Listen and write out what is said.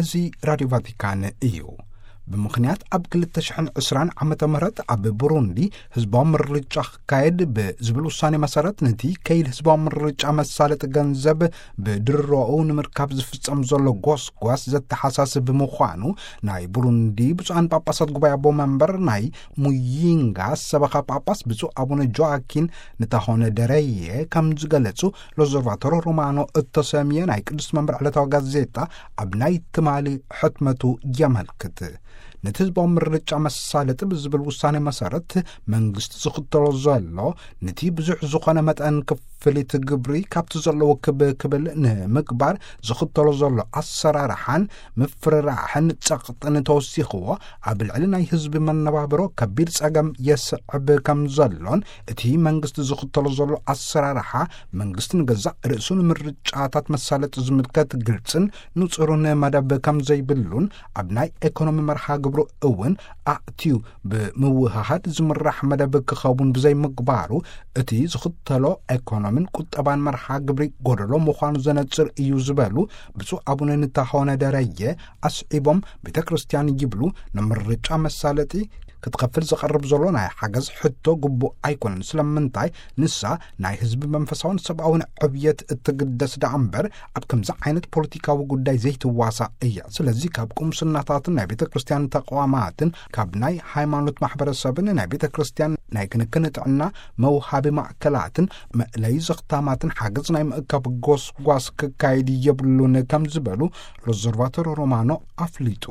እዚ ራድዮ ቫቲካን እዩ። ብምኽንያት ኣብ ክልተ ሽሕን ዕስራን ዓመተ ምህረት ኣብ ብሩንዲ ህዝባዊ ምርጫ ክካየድ ብዝብል ውሳኔ መሰረት፣ ነቲ ከይድ ህዝባዊ ምርጫ መሳለጢ ገንዘብ ብድሮኡ ንምርካብ ዝፍጸም ዘሎ ጎስጓስ ዘተሓሳስብ ምዃኑ፣ ናይ ብሩንዲ ብፁዓን ጳጳሳት ጉባኤ ኣቦ መንበር ናይ ሙይንጋ ሰበኻ ጳጳስ ብፁዕ ኣቡነ ጆኣኪን ንታሆነ ደረየ ከም ዝገለጹ፣ ሎዘርቫቶሮ ሮማኖ እተሰምየ ናይ ቅዱስ መንበር ዕለታዊ ጋዜጣ ኣብ ናይ ትማሊ ሕትመቱ የመልክት። ነቲ ህዝባዊ ምርጫ መሳለጢ ብዝብል ውሳኔ መሰረት፣ መንግስቲ ዝኽተሎ ዘሎ፣ ነቲ ብዙሕ ዝኾነ መጠን ክፍሊት ግብሪ ካብቲ ዘለዎ ክብ ክብል ንምግባር ዝኽተሎ ዘሎ ኣሰራርሓን ምፍርራሕን ጸቕጥን ተወሲኽዎ፣ ኣብ ልዕሊ ናይ ህዝቢ መነባብሮ ከቢድ ጸገም የስዕብ ከም ዘሎን፣ እቲ መንግስቲ ዝኽተሎ ዘሎ ኣሰራርሓ፣ መንግስቲ ንገዛእ ርእሱ ንምርጫታት መሳለጢ ዝምልከት ግልጽን ንጹርን መደብ ከም ዘይብሉን፣ ኣብ ናይ ኤኮኖሚ መርሃ ግብሩ እውን ኣእትዩ ብምውህሃድ ዝምራሕ መደብ ክኸውን ብዘይምግባሩ፣ እቲ ዝኽተሎ ኤኮኖምን ቁጠባን መርሃ ግብሪ ጎደሎ ምዃኑ ዘነጽር እዩ ዝበሉ ብፁዕ ኣቡነ ንታሆነ ደረየ ኣስዒቦም፣ ቤተ ክርስቲያን ይብሉ፣ ንምርጫ መሳለጢ ክትኸፍል ዝቐርብ ዘሎ ናይ ሓገዝ ሕቶ ግቡእ ኣይኮነን። ስለምንታይ? ንሳ ናይ ህዝቢ መንፈሳውን ሰብኣውን ዕብየት እትግደስ ደኣ እምበር፣ ኣብ ከምዚ ዓይነት ፖለቲካዊ ጉዳይ ዘይትዋሳ እያ። ስለዚ ካብ ቁምስናታትን ናይ ቤተ ክርስቲያን ተቋማትን፣ ካብ ናይ ሃይማኖት ማሕበረሰብን ናይ ቤተ ክርስቲያን ናይ ክንክን ጥዕና መውሃቢ ማእከላትን መእለዪ ዘኽታማትን ሓገዝ ናይ ምእካብ ጎስጓስ ክካየድ የብሉን ከም ዝበሉ ሎዘርቫቶሮ ሮማኖ ኣፍሊጡ።